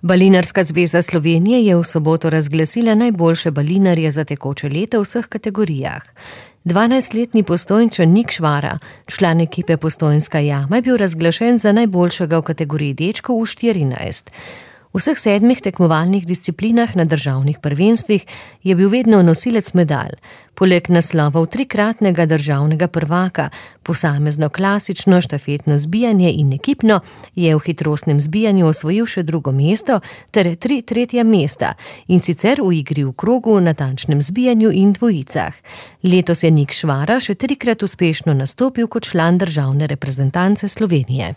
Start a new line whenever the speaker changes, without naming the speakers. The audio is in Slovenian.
Balinarska zveza Slovenije je v soboto razglasila najboljše balinarje za tekoče leto v vseh kategorijah. 12-letni Postojnčan Nik Švara, član ekipe Postojnska jama, je bil razglašen za najboljšega v kategoriji dečkov v 14. V vseh 7 tekmovalnih disciplinah na državnih prvenstvih je bil vedno nosilec medalj. Poleg naslovov 3-kratnega državnega prvaka, posamezno klasično štafetno zbijanje in ekipno, je v hitrostnem zbijanju osvojil še 2. mesto ter 3 tretja mesta, in sicer v igri v krogu, natančnem zbijanju in dvojicah. Letos je Nik Švara še 3-krat uspešno nastopil kot član državne reprezentance Slovenije.